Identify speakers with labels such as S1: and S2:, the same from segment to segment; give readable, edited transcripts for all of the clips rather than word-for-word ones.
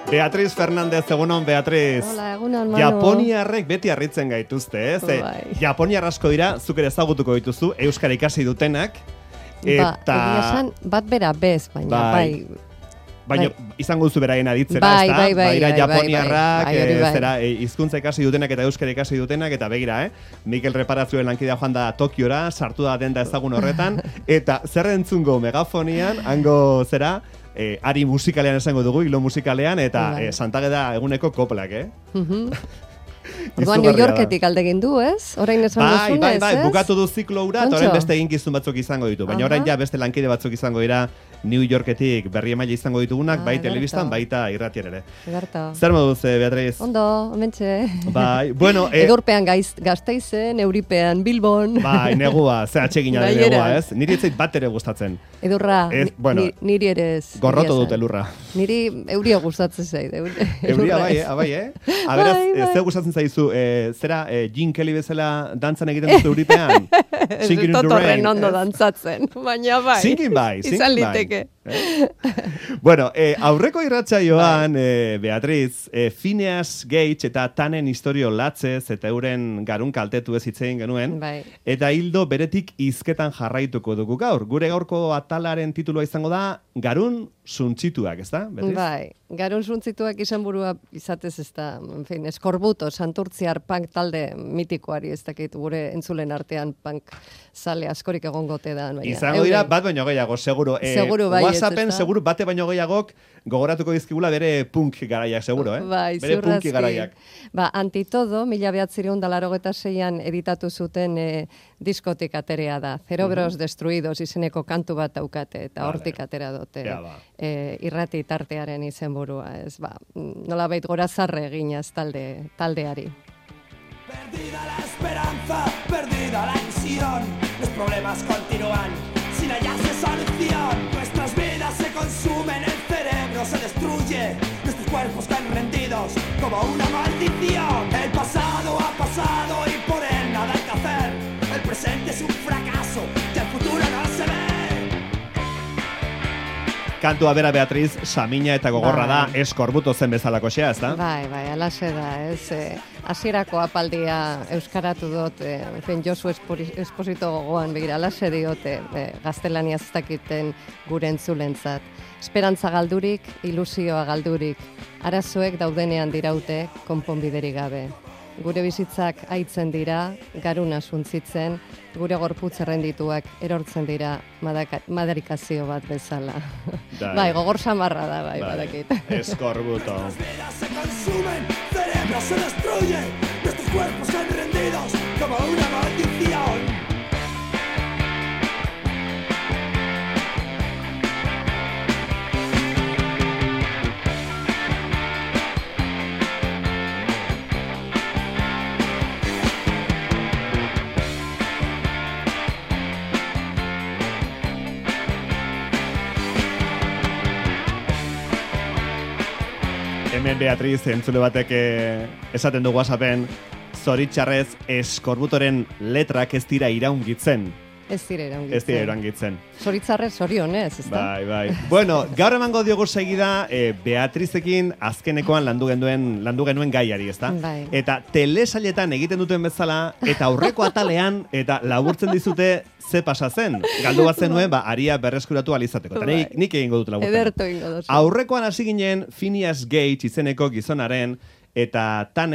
S1: Beatriz Fernández, egunon, Beatriz.
S2: Hola, egunon, Manu.
S1: Japoniarrek beti harritzen gaituzte, ez? Japoniar asko dira, zuk ere ezagutuko dituzu, euskara ikasi dutenak. Eta...
S2: esan, bat bera bez, baina, bai.
S1: Baina izango duzu beraien aditzera, ez da? Baira japoniarrak, zera, hizkuntza ikasi dutenak eta euskara ikasi dutenak, eta begira, Mikel Reparazioen lankidea joan da Tokiora, sartu da denda ezagun horretan, eta zer entzungo megafonian, hango zera, ari musikalean esango dugu, hilo musikalean, eta Santageda eguneko koplak,
S2: Orduan New Yorketik aldegin du, ez? Orain esan duzunez, ez?
S1: Bai, bukatu du ziklo hura, eta orain beste eginkizun batzuk izango ditu. Baina orain ja beste lankide batzuk izango dira New Yorketik berri emaile izango ditugunak, bai telebistan, baita irratian ere. Zer moduz, Beatriz?
S2: Ondo, hementxe.
S1: Bai, bueno...
S2: Edurpean Gasteizen, Euripean, Bilbon.
S1: Bai, negua, ze atsegina de negua, ez? Niri etzait bat ere gustatzen.
S2: Edurra, niri ere ez.
S1: Gorroto dut elurra.
S2: Niri euria gustatzen zait.
S1: Euria, bai, Aberaz, ze gustatzen zaizu, zera, Gene Kelly bezala dantzan egiten dut Euripean?
S2: Ez totorren ondo dantzatzen, baina bai.
S1: Singin bai.
S2: Izan liteke.
S1: Bueno, aurreko irratsaioan, Beatriz, Phineas Gage eta Tannen istorio latzez eta euren garun kaltetu ez hitzein genuen, eta hildo beretik hizketan jarraituko dugu gaur. Gure gaurko atalaren titulua izango da Garun suntzituak, ez da?
S2: Bai, garun suntzituak izan burua izatez ez da, eskorbuto, santurtziar punk talde mitikoari ez dakit gure entzulen artean punk sale askorik egongote da.
S1: Izango dira bat baino gehiago, seguro.
S2: Seguro bai.
S1: WhatsAppen seguro bate baino gehiagok gogoratuko dizkigula bere punk garaiak, seguro,
S2: Bai,
S1: bere punki garaiak.
S2: Antitodo, 1986an editatu zuten diskotik aterea da. Cerebros Destruidos izeneko kantu bat daukate, eta hortik atera dute. Irrati tartearen izenburua, ez nolabait gorazarre eginaz taldeari.
S3: Perdida la esperanza, perdida la ilusión, los problemas continúan sin hallarse solución. Nuestras vidas se consumen, el cerebro se destruye, nuestros cuerpos caen rendidos como una maldición. El pasado ha pasado y por él nada hay que hacer. El presente es un fracaso, y el futuro no se ve.
S1: Kantua bera, Beatriz, samina eta gogorra da, eskorbuto zen bezalako xea, ez da?
S2: Bai, alaxe da, ez. Hasierako apaldia euskaratu dut, Josu Esposito gogoan, begira, alaxe diote, gaztelaniaz ez dakiten gure entzulentzat. Esperantza galdurik, ilusioa galdurik, arazoek daudenean diraute, konponbiderik gabe. Gure bizitzak aitzen dira, garuna suntzitzen, gure gorputz errendituak erortzen dira madarikazio bat bezala. Bai, gogor samarra da, bai, badakit.
S1: Eskorbuto.
S3: Nuestras vidas se consumen, cerebro se destruye, nuestros cuerpos caen rendidos como una maldición.
S1: Hemen Beatriz, entzule batek esaten du WhatsAppen, zoritxarrez eskorbutoren letrak ez dira iraungitzen.
S2: Ez dira iraungitzen. Zoritzarrez zorionez, ez da?
S1: Bai. Bueno, gaur emango diogu segida Beatrizekin azkenekoan landu genuen gaiari, ez da?
S2: Bai.
S1: Eta telesailetan egiten duten bezala, eta aurreko atalean, eta laburtzen dizute ze pasa zen. Galdu bat zenuen, aria berreskuratu alizateko. Eta nik egingo dut laburtzen.
S2: Ederto egingo dut.
S1: Aurrekoan hasi ginen Phineas Gage izeneko gizonaren, eta Tan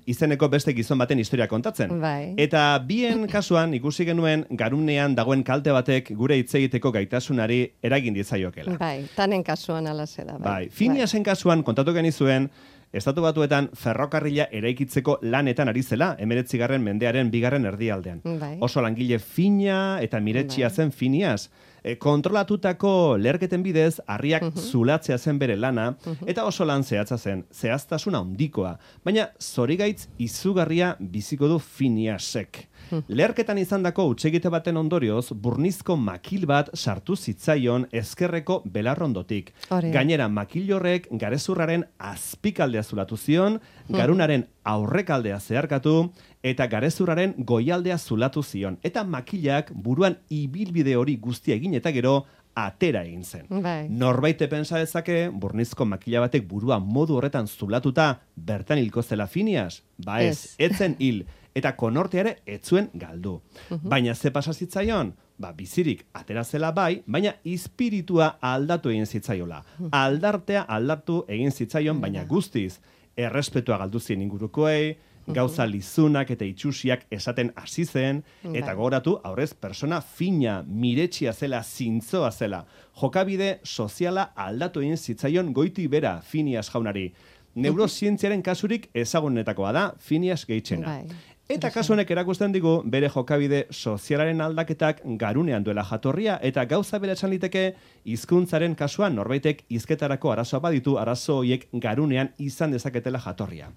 S1: izeneko beste gizon baten historia kontatzen. Eta bien kasuan ikusi genuen garunean dagoen kalte batek gure hitz egiteko gaitasunari eragin ditzaiokela.
S2: Bai, Tanen kasuan alaxe da.
S1: Bai, Phineasen kasuan kontatu genizuen Estatu Batuetan ferrokarrila eraikitzeko lanetan ari zela, 19. mendearen 2. erdialdean. Oso langile fina eta miretsia zen Phineas. Kontrolatutako leherketen bidez, harriak zulatzea zen bere lana, eta oso lan zehatza zen, zehaztasuna handikoa. Baina zorigaitz izugarria biziko du Phineasek. Leherketan izandako hutsegite baten ondorioz, burnizko makil bat sartu zitzaion ezkerreko belarrondotik. Gainera, makil horrek garezurraren azpikaldea zulatu zion, garunaren aurrekaldea zeharkatu, eta garezurraren goialdea zulatu zion. Eta makilak buruan ibilbide hori guztia egin eta gero atera egin zen.
S2: Bai.
S1: Norbaite pentsa dezake, burnizko makila batek burua modu horretan zulatuta bertan hilko zela Phineas? Ba ez, etzen hil, eta konortea ere etzuen galdu. Baina ze pasa zitzaion? Ba, bizirik atera zela bai, baina espiritua aldatu egin zitzaiola. Aldartea aldatu egin zitzaion, baina guztiz, errespetua galdu zien ingurukoei, gauza lizunak eta itxusiak esaten hasi zen, eta gogoratu aurrez persona fina, miretsia zela, zintzoa zela. Jokabide soziala aldatu egin zitzaion goiti bera Phineas jaunari. Neurozientziaren kasurik ezagunetakoa da Phineas Gagena. Eta kasu honek erakusten digu bere jokabide sozialaren aldaketak garunean duela jatorria, eta gauza bera esan liteke hizkuntzaren kasuan norbaitek hizketarako arazoa baditu, arazo horiek garunean izan dezaketela jatorria.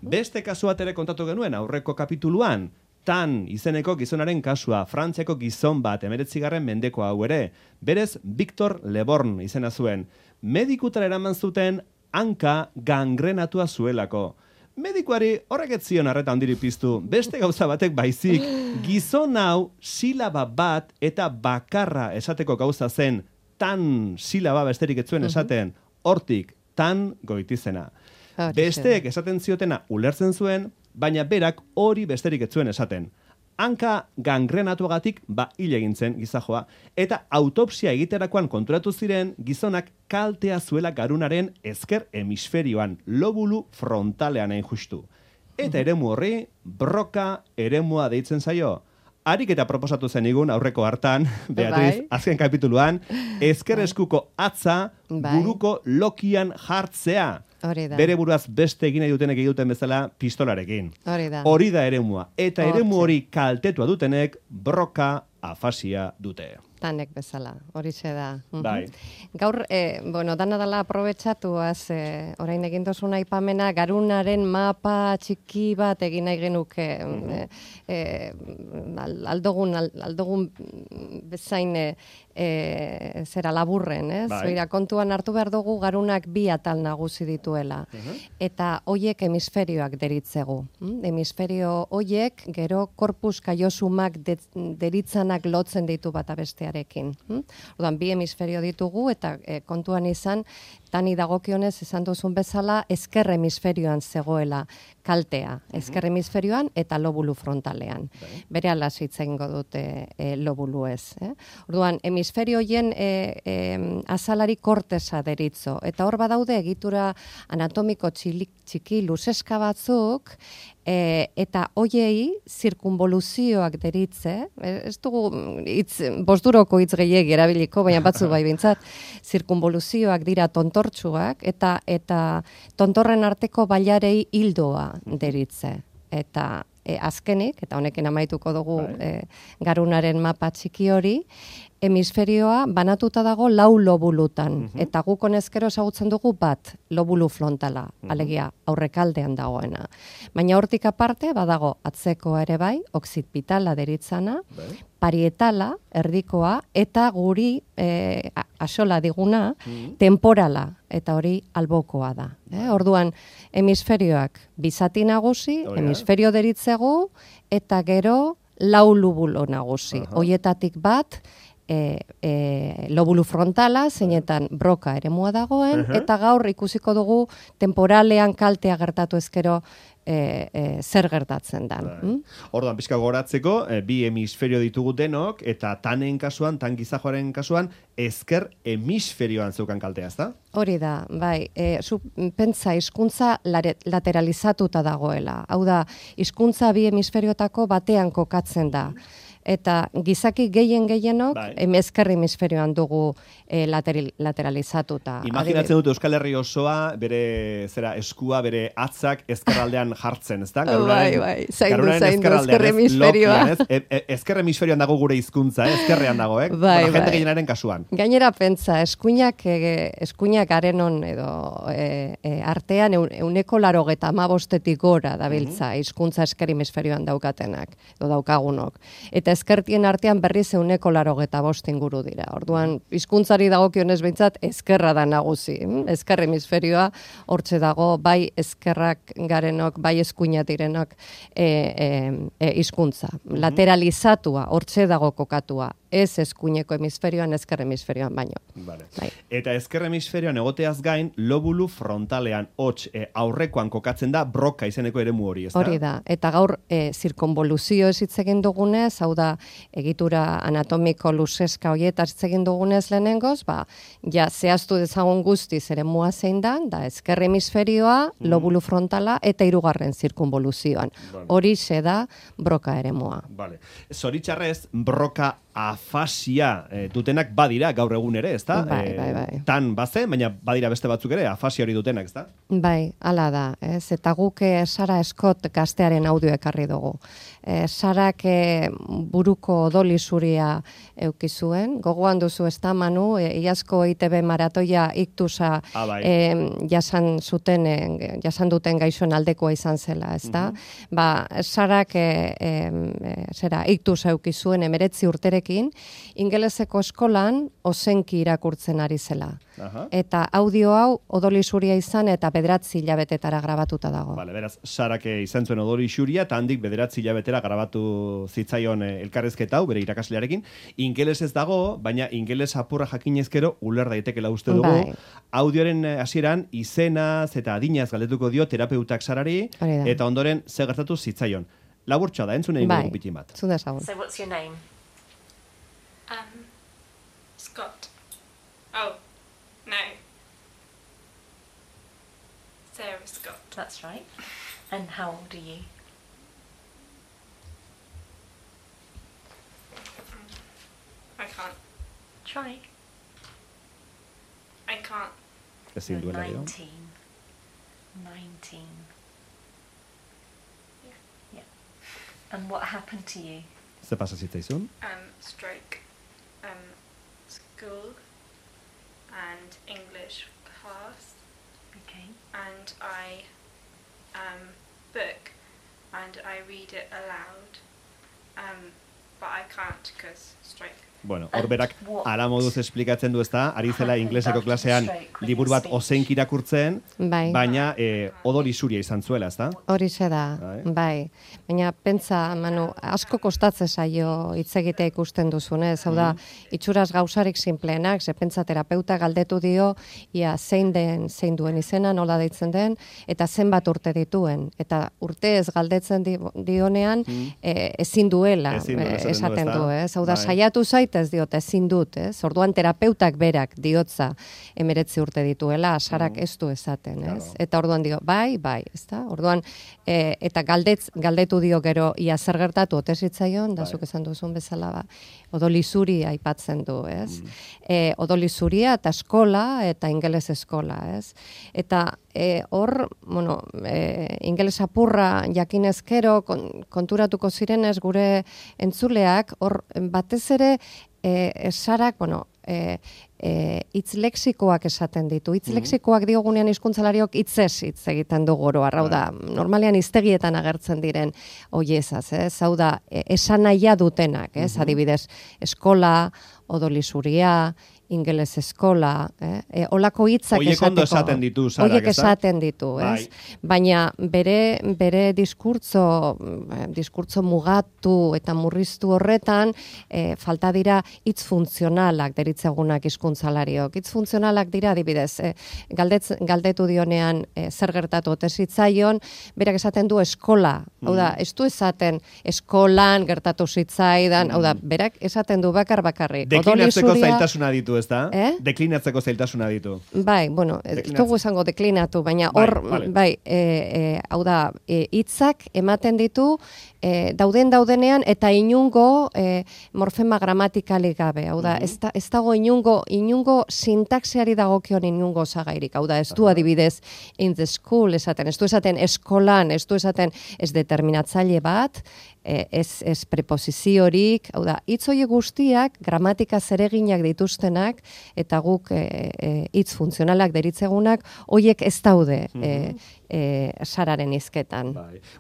S1: Beste kasu bat ere kontatu genuen aurreko kapituluan, Tan izeneko gizonaren kasua, Frantziako gizon bat 19. mendeko hau ere, berez Victor Leborn izena zuen. Medikutara eraman zuten hanka gangrenatua zuelako. Medikuari horrek ez zion arreta handiri piztu, beste gauza batek baizik, gizon hau silaba bat eta bakarra esateko gauza zen, tan silaba besterik ez zuen esaten, hortik tan goitizena. Besteek esaten ziotena ulertzen zuen, baina berak hori besterik ez zuen esaten. Hanka gangrenatuagatik hil egin zen gizajoa, eta autopsia egiterakoan konturatu ziren gizonak kaltea zuela garunaren ezker hemisferioan, lobulu frontalean hain justu. Eta eremu horri, broka eremua deitzen zaio. Harik eta proposatu zen igun aurreko hartan, Beatriz, azken kapituluan, ezker eskuko atza buruko lokian jartzea. Bere buruaz beste egin nahi dutenek egiten bezala pistolarekin. Hori da eremua. Eta eremu hori kaltetua dutenek broka afasia dute.
S2: Tanek bezala, hori da.
S1: Bai.
S2: Gaur, dana dala aprobetxatuaz, orain egin dozun aipamena, garunaren mapa txiki bat egin nahi genuke, aldogun bezain zera laburren, zoira kontuan hartu behar dugu garunak bi atal nagusi dituela. Eta hoiek hemisferioak deritzegu. Hemisferio hoiek gero korpus kaiosumak deritzanak lotzen ditu bata bestearekin. Orduan, bi hemisferio ditugu eta kontuan izan, tani dagokionez esan duzun bezala, ezker hemisferioan zegoela kaltea. Ezker hemisferioan eta lobulu frontalean. Bere hitz egingo dute lobulu ez. Orduan, hemisferioien azalari kortesa deritzo. Eta hor badaude egitura anatomiko txiki luzeska batzuk, eta hoiei zirkunboluzioak deritze, ez dugu bosturoko hitz gehiegi erabiliko, baina batzu bai bintzat, zirkunboluzioak dira tontortsuak, eta tontorren arteko bailarei hildoa deritze. Eta azkenik, eta honekin amaituko dugu garunaren mapa txiki hori, hemisferioa banatuta dago 4 lobulutan, eta guk honezkero ezagutzen dugu bat lobulu frontala, alegia aurrekaldean dagoena. Baina hortik aparte, badago atzekoa ere bai, oksitpitala deritzana, parietala, erdikoa, eta guri axola diguna, temporala, eta hori albokoa da. Orduan, hemisferioak bizati nagusi, hemisferio deritzegu, eta gero 4 lobulo nagusi. Hoietatik bat, lobulu frontala, zeinetan broka eremua dagoen, eta gaur ikusiko dugu temporalean kaltea gertatu ezkero zer gertatzen da.
S1: Orduan, pixka goratzeko, bi hemisferio ditugu denok, eta tanen kasuan, tan gizajoaren kasuan, ezker hemisferioan zeukan kaltea, ezta?
S2: Hori da, bai. Zu pentsa, hizkuntza lateralizatuta dagoela. Hau da, hizkuntza bi hemisferiotako batean kokatzen da. Eta gizaki gehienok ezker hemisferioan dugu lateralizatuta.
S1: Imaginatzen dut Euskal Herri osoa, bere eskua, bere atzak ezkerraldean jartzen, ezta?
S2: Bai, zaindu ezker hemisferioa.
S1: Ezker hemisferioan dago gure hizkuntza, ezkerrean dago, jende gehienaren kasuan.
S2: Gainera pentsa, eskuinak garenon edo artean 185 gora dabiltza hizkuntza ezker hemisferioan daukatenak, edo daukagunok. Eta ezkertien artean berriz 185 inguru dira. Orduan, hizkuntzari dagokionez behintzat, ezkerra da nagusi. Ezker hemisferioa hortze dago, bai ezkerrak garenok, bai eskuina direnok hizkuntza. Lateralizatua, hortze dago kokatua. ez eskuineko hemisferioan, ezker hemisferioan baino.
S1: Vale. Bai. Eta ezker hemisferioan egoteaz gain, lobulu frontalean, hots, aurrekoan kokatzen da broka izeneko eremu hori, ezta?
S2: Hori da, eta gaur zirkonboluzio ez hitz egin dugunez, hau da, egitura anatomiko luzeska horietaz hitz egin dugunez lehenengoz, ja zehaztu dezagun guztiz eremua zein da ezker hemisferioa, lobulu frontala eta hirugarren zirkunboluzioan. Horixe da broka eremua.
S1: Vale. Zoritxarrez, broka afasia dutenak badira gaur egun ere, ezta?
S2: Bai.
S1: Tan bazen, baina badira beste batzuk ere, afasia hori dutenak, ezta?
S2: Bai, hala da, ez? Eta guk Sara Scott gaztearen audio ekarri dugu. Sarak buruko odoli zuria eukizuen, gogoan duzu ez da, Manu, iazko ITB maratoia iktusa jasan duten gaixoen aldekoa izan zela, ez da? Sarak iktusa eukizuen 19 urterekin, ingeleseko eskolan ozenki irakurtzen ari zela. Eta audio hau odoli zuria izan eta 9 hilabetetara grabatuta dago.
S1: Vale, beraz, Sarak izan zuen odoli zuria, eta handik 9 hilabetera grabatu zitzaion elkarrezketa hau, bere irakaslearekin. Ingeles ez dago, baina ingeles apurra jakinezkero uler daitekela uste dugu. Audioren hasieran izenaz eta adinaz galdetuko dio terapeutak Sarari, eta ondoren ze gertatu zitzaion. Laburtxoa da, entzun egin dugu bitin bat.
S2: Zun dezagun.
S4: So what's your name?
S5: Scott. Oh, no. Sarah Scott.
S4: That's right. And how old are you?
S5: I can't.
S4: Try.
S5: I can't.
S1: Ezin duela dio.
S4: 19. Yeah. And what happened to you?
S1: Ze pasa zitzaizun?
S5: Stroke. School and English class.
S4: Okay.
S5: And I book and I read it aloud. But I can't because stroke.
S1: Bueno, horberak ala moduz esplikatzen du, ezta, ari zela ingleseko klasean liburu bat ozenki irakurtzen, baina odoli zuria izan zuela, ezta?
S2: Horixe da, bai. Baina pentsa, Manu, asko kostatzen zaio hitz egitea ikusten duzunez, hau da, itxuraz gauzarik sinpleenak, ze pentsa terapeuta galdetu dio, ia zein duen izena, nola deitzen den, eta zenbat urte dituen. Eta urte ez galdetzen dionean, ezin duela, esaten du, ez? Hau da, saiatu zait, ez diote, ezin dut, ez? Orduan terapeutak berak diotza 19 urte dituela, Sarak ez du esaten, ez? Eta orduan dio, bai, ezta? Orduan, eta galdetu dio gero, ia zer gertatu ote zitzaion, da zuk esan duzun bezala, odoli zuri aipatzen du, ez? Odoli zuria eta eskola, eta ingeles eskola, ez? Eta hor, bueno, ingeles apurra jakinezkero konturatuko zirenez gure entzuleak, hor batez ere Sarak, bueno, hitz lexikoak esaten ditu. Hitz lexikoak diogunean hizkuntzalariok hitzez hitz egiten dugu oro. Hau da, normalean hiztegietan agertzen diren hoiezaz, ez? Hau da, esanahia dutenak, ez? Adibidez, eskola, odoli zuria, ingeles eskola, olako hitzak esateko.
S1: Oiek ondo esaten ditu, Sarak,
S2: Oiek esaten ditu, ez? Baina bere diskurtzo mugatu eta murriztu horretan, falta dira hitz funtzionalak deritzegunak hizkuntzalariok. Hitz funtzionalak dira, adibidez, galdetu dionean zer gertatu ote zitzaion, berak esaten du eskola. Hau da, ez du esaten eskolan gertatu zitzaidan, hau da, berak esaten du bakarrik.
S1: Deklinatzeko zailtasuna ditu, ez da? Deklinatzeko zailtasuna ditu.
S2: Bai, bueno, ez dugu esango deklinatu, baina hor, hau da, hitzak ematen ditu, daudenean, eta inungo morfema gramatikalik gabe. Hau da, ez dago inungo sintaxiari dagokion inungo osagairik. Hau da, ez du adibidez in the school esaten, ez du esaten eskolan, ez du esaten ez determinatzaile bat, ez preposiziorik, hau da, hitz horiek guztiak gramatika zereginak dituztenak, eta guk hitz funtzionalak deritzegunak, horiek ez daude Sararen hizketan.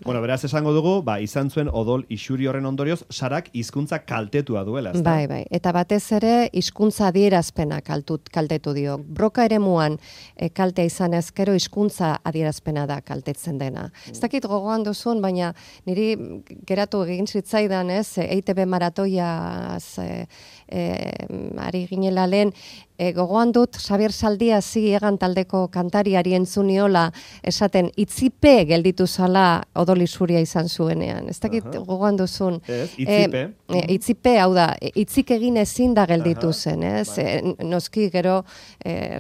S1: Bueno, beraz esango dugu, izan zuen odol isuri horren ondorioz, Sarak hizkuntza kaltetua duela, ezta?
S2: Bai, eta batez ere hizkuntza adierazpena kaltetu dio. Broka eremuan kaltea izan ezkero hizkuntza adierazpena da kaltetzen dena. Ez dakit gogoan duzun, baina niri geratu gogoratu egin zitzaidan, ez, EITB maratoiaz ari ginela lehen, gogoan dut Xabier Saldiazi egan taldeko kantariari entzuniola esaten itzipe gelditu zala odoli zuria izan zuenean. Ez dakit gogoan duzun.
S1: Itzipe.
S2: Itzipe, hau da, itzik egin ezin da gelditu zen, ez? Noski gero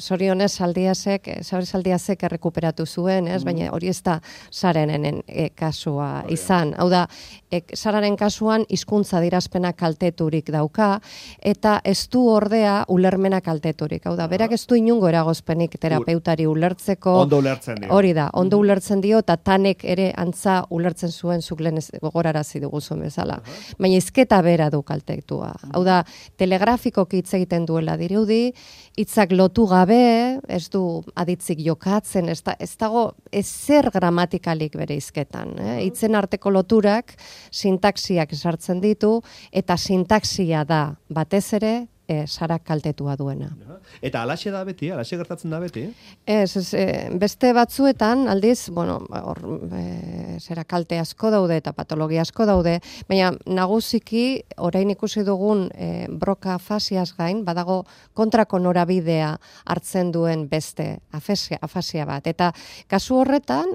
S2: zorionez Xabier Saldiazek errekuperatu zuen, ez? Baina hori ez da Sararen kasua izan. Hau da, Sararen kasuan hizkuntza adierazpena kalteturik dauka, eta ez du ordea ulermena kalteturik. Hau da, berak ez du inungo eragozpenik terapeutari ulertzeko.
S1: Ondo ulertzen dio.
S2: Hori da, ondo ulertzen dio, eta tanek ere antza ulertzen zuen zuk lehen gogorarazi duguzun bezala. Baina hizketa bera du kaltetua. Hau da, telegrafikoki hitz egiten duela dirudi, hitzak lotu gabe, ez du aditzik jokatzen, ez dago ezer gramatikalik bere hizketan. Hitzen arteko loturak, sintaxiak sartzen ditu, eta sintaxia da batez ere Sara kaltetua duena.
S1: Eta alaxe da beti, alaxe gertatzen da beti?
S2: Beste batzuetan, aldiz, zera kalte asko daude eta patologia asko daude, baina nagusiki, orain ikusi dugun broka afasiaz gain, badago kontrako norabidea hartzen duen beste afasia bat. Eta kasu horretan,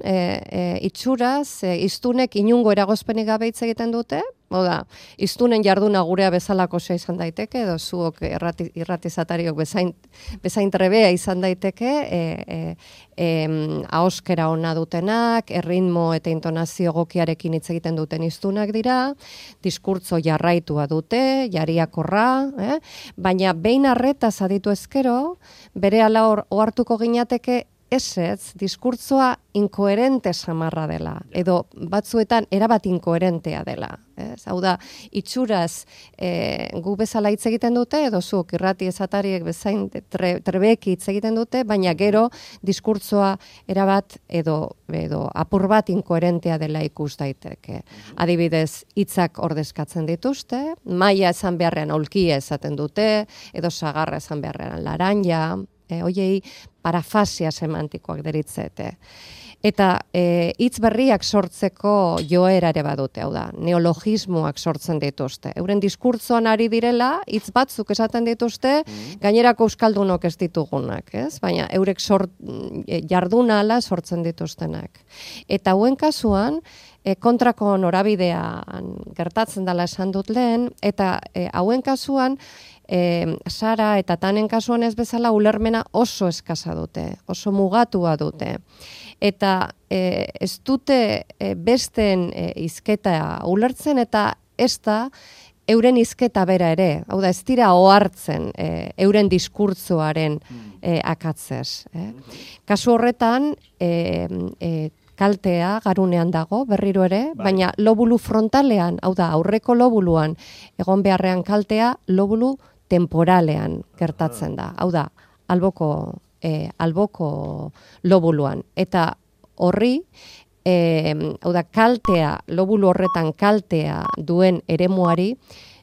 S2: itxuraz, iztunek inungo eragozpenik gabe hitz egiten dute, Oda, iztunen jarduna gurea bezalako izan daiteke, edo zuok irratizatariok bezain trebea izan daiteke, ahoskera ona dutenak, erritmo eta intonazio egokiarekin hitz egiten duten iztunak dira, diskurtzo jarraitua dute, jariakorra, baina behin arretaz aditu ezkero, bere ala ohartuko ginateke ez, diskurtzoa inkoherente samarra dela, edo batzuetan erabat inkoherentea dela. Hau da, itxuraz gu bezala hitz egiten dute, edo zuok irrati esatariek bezain trebeki hitz egiten dute, baina gero diskurtzoa erabat edo apur bat inkoherentea dela ikus daiteke. Adibidez, hitzak ordezkatzen dituzte, maila esan beharrean aulkia esaten dute, edo sagarra esan beharrean laranja, hoiei parafasia semantikoak deritzete. Eta hitz berriak sortzeko joera ere badute, hau da, neologismoak sortzen dituzte. Euren diskurtzoan ari direla, hitz batzuk esaten dituzte, gainerako euskaldunok ez ditugunak, ez? Baina eurek jarduna ala sortzen dituztenak. Eta hauen kasuan, kontrako norabidean gertatzen dela esan dut lehen, eta hauen kasuan, Sara eta Tanen kasuan ez bezala ulermena oso eskasa dute, oso mugatua dute. Eta ez dute besten hizketa ulertzen eta ez da euren hizketa bera ere. Hau da, ez dira ohartzen euren diskurtzoaren akatzez. Kasu horretan, kaltea garunean dago, berriro ere, baina lobulu frontalean, hau da, aurreko lobuluan, egon beharrean kaltea, lobulu temporalean gertatzen da. Hau da, alboko lobuluan. Eta horri, hau da, kaltea, lobulu horretan kaltea duen eremuari,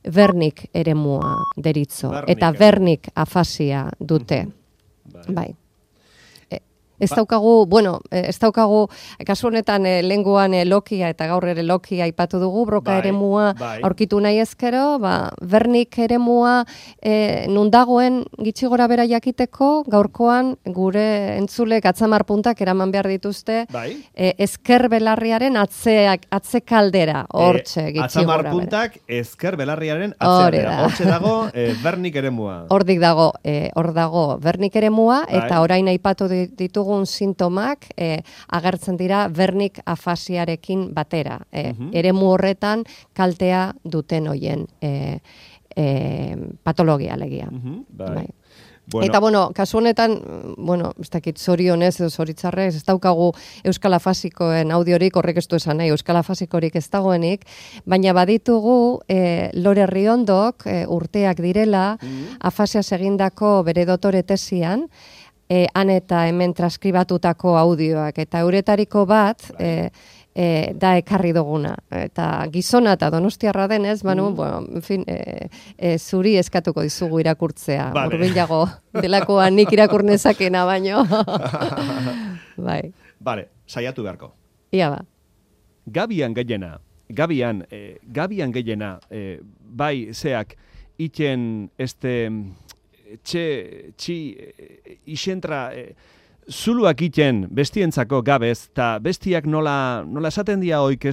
S2: Wernicke eremua deritzo. Eta Wernicke afasia dute. Bai. Ez daukagu, kasu honetan lenguan Lokia eta gaur ere Lokia aipatu dugu, broka eremua aurkitu nahi ezkero, Wernicke eremua nun dagoen gitxi gora bera jakiteko, gaurkoan gure entzulek atzamar puntak eraman behar dituzte, ezker belarriaren atzekaldera, hortxe gitxi gora bera.
S1: Atzamar puntak ezker belarriaren atzekaldera, hortxe dago Wernicke eremua.
S2: Hor dago Wernicke eremua, eta orain aipatu ditugu sintomak agertzen dira Wernicke afasiarekin batera. Eremu horretan kaltea duten hoien patologia alegia. Eta, kasu honetan, ez dakit zorionez edo zoritzarrez, ez daukagu Euskal Afasikoen audiorik, horrek ez du esan nahi, Euskal Afasikorik ez dagoenik, baina baditugu Lore Riondok urteak direla, afasiaz egindako bere dotore tesian, han eta hemen transkribatutako audioak, eta euretariko bat da ekarri duguna. Eta gizona eta donostiarra denez, zuri eskatuko dizugu irakurtzea. Urbilago delakoa nik irakurnesakena baino. Bai.
S1: Bale, saiatu beharko.
S2: Ia ba.
S1: Gabian Gailena, Gabian gehiena, bai, zeak, iten isentra, zuluak iten bestientzako gabez, eta bestiak nola esaten dia hoik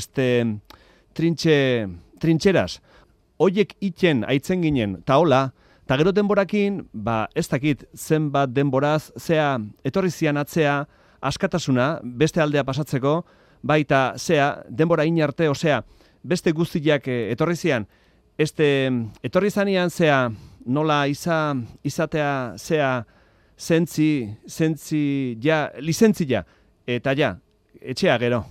S1: trintxeras, hoiek iten aitzen ginen, ta hola, ta gero denborakin, ez dakit zenbat denboraz, zea, etorri zian atzea, askatasuna, beste aldea pasatzeko, baita, zea, denbora inarte, osea, beste guztiak etorri zian, etorri zanian, zea, nola izatea, zea, lizentzia, eta ja, etxea gero.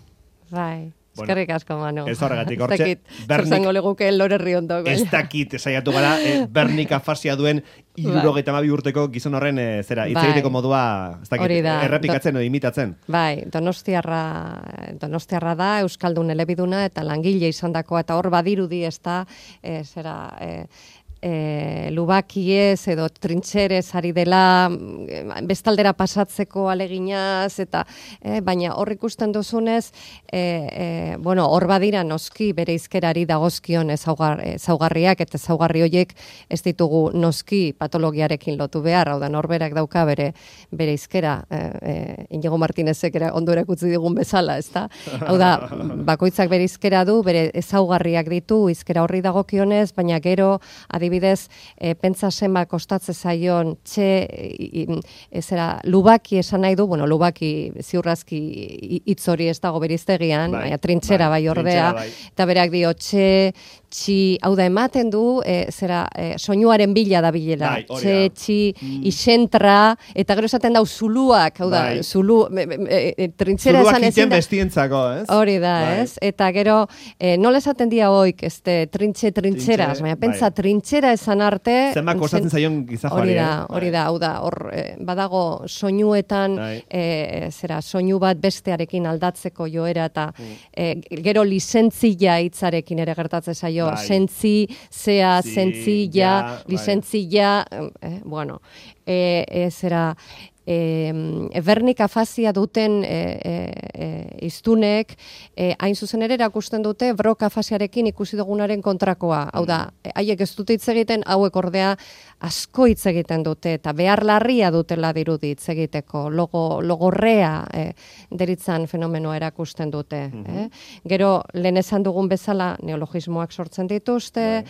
S2: Bai. Eskerrik asko, Manu.
S1: Ez horregatik, hortxe,
S2: Zertzango leguke lore riondo.
S1: Ez dakit, saiatu gara, Bernik afasia duen 72 urteko gizon horren, hitz egiteko modua, ez dakit, errepikatzen edo imitatzen.
S2: Bai, donostiarra da, Euskaldun elebiduna, eta langile izandakoa, eta hor badirudi ez da, lubakiez edo trintxerez ari dela bestaldera pasatzeko aleginaz eta baina hor ikusten duzunez hor badira noski bere hizkerari dagozkion ezaugarriak eta ezaugarri horiek ez ditugu noski patologiarekin lotu behar, hau da norberak dauka bere hizkera Inigo Martinezek ere ondo erakutsi digun bezala, ezta? Hau da, bakoitzak bere hizkera du, bere ezaugarriak ditu hizkera horri dagokionez, baina gero adibidez, pentsa zenba kostatze zaion lubaki esan nahi du, lubaki ziurrazki hitz hori ez dago beriztegian, baina trintxera bai ordea, eta berak dio hau da ematen du, soinuaren bila da bilela, isentra, eta gero esaten dau zuluak, hau da, trintxera esan ezin da.
S1: Zuluak iten bestientzako, ez?
S2: Hori da, ez? Eta gero, nola esaten dia hoik, trintxeras, baina pentsa trintxera esan arte...
S1: Zenba kostatzen zaion gizajoari.
S2: Hori da, hau da, hor badago soinuetan, soinu bat bestearekin aldatzeko joera, eta gero lizentzia hitzarekin ere gertatzen zaio, sentzia, lizentzia, Bernik afasia duten iztunek hain zuzen ere erakusten dute Brock afasiarekin ikusi dugunaren kontrakoa. Hau da, haiek ez dute hitz egiten, hauek ordea asko hitz egiten dute eta behar larria dutela dirudi hitz egiteko, logorrea deritzan fenomenoa erakusten dute. Gero, lehen esan dugun bezala neologismoak sortzen dituzte,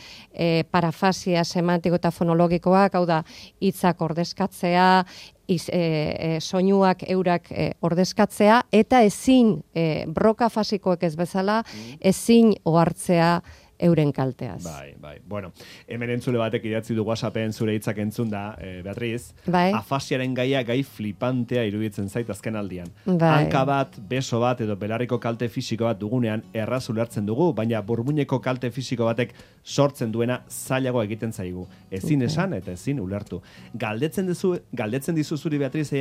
S2: parafasia semantiko eta fonologikoak, hau da, hitzak ordezkatzea, soinuak eurak ordezkatzea, eta ezin broka fasikoek ez bezala, ezin ohartzea euren kalteaz.
S1: Bai. Bueno, hemen entzule batek idatzi du WhatsAppen zure hitzak entzun da, Beatriz, afasiaren gaia gai flipantea iruditzen zait azken aldian. Hanka bat, beso bat edo belarriko kalte fisiko bat dugunean erraz ulertzen dugu, baina burmuineko kalte fisiko batek sortzen duena zailago egiten zaigu. Ezin esan eta ezin ulertu. Galdetzen dizu zuri, Beatriz,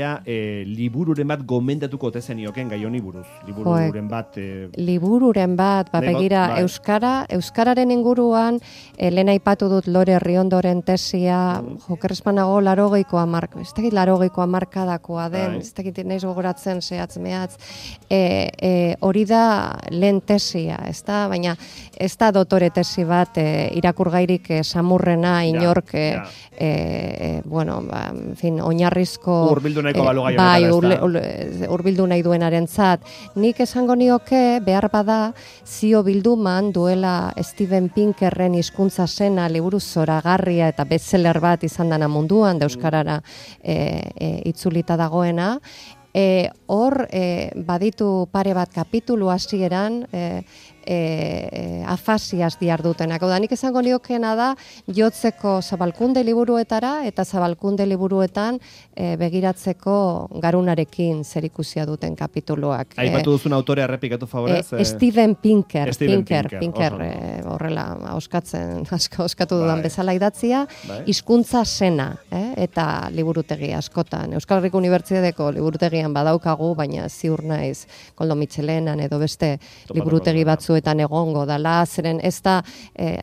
S1: libururen bat gomendatuko ote zenioken gai honi buruz.
S2: Libururen bat, begira, Euskararen inguruan, lehen aipatu dut Lore Riondoren tesia, jokerrespanago 80koa marka, ez dakit 80koa markadakoa den, ez dakit naiz gogoratzen zehatz mehatz, hori da lehen tesia, ez da, baina ez da dotore tesi bat irakurgairik samurrena inork, oinarrizko
S1: urbildu nahiko balu gai honetara,
S2: urbildu nahi duenarentzat. Nik esango nioke behar bada zio bilduman duela Steven Pinkerren hizkuntza zena liburu zoragarria eta bestseller bat izan dana munduan, da euskarara itzulita dagoena. Hor baditu pare bat kapitulu hasieran afasiaz diardutenak. Hau da, nik esango niokeena da jotzeko Zabalkunde liburuetara eta Zabalkunde liburuetan begiratzeko garunarekin zerikusia duten kapituluak.
S1: Aipatu duzun autorea errepikatu favorez?
S2: Steven Pinker, horrela oskatu dudan bezala idatzia, hizkuntza zena, eta liburutegi askotan. Euskal Herriko Unibertsitateko liburutegian badaukagu, baina ziur naiz Koldo Mitxelenan edo beste liburutegi batzuetan egongo dala, zeren ez da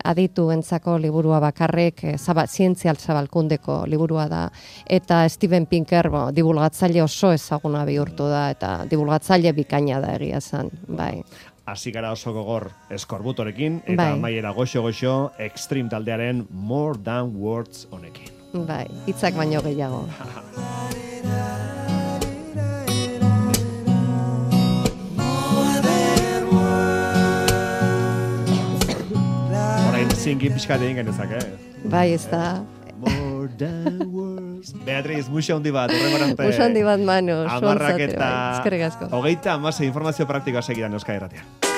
S2: adituentzako liburua bakarrik, zientzial Zabalkundeko liburua da, eta Steven Pinker divulgatzaile oso ezaguna bihurtu da, eta divulgatzaile bikaina da egia zen, bai.
S1: hasi gara oso gogor eskorbutorekin, eta amaiera goxo-goxo Extreme taldearen More Than Words honekin.
S2: Bai, hitzak baino gehiago.
S1: Zingin pixkat egin genezak,
S2: Bai, ez da.
S1: More than words. Beatriz, muxa handi bat, horrengorante.
S2: Muxa handi bat, Manu.
S1: Amarrak eta...
S2: Eskerrik asko.
S1: 30 informazio praktikoa segidan Euskadi Irratian.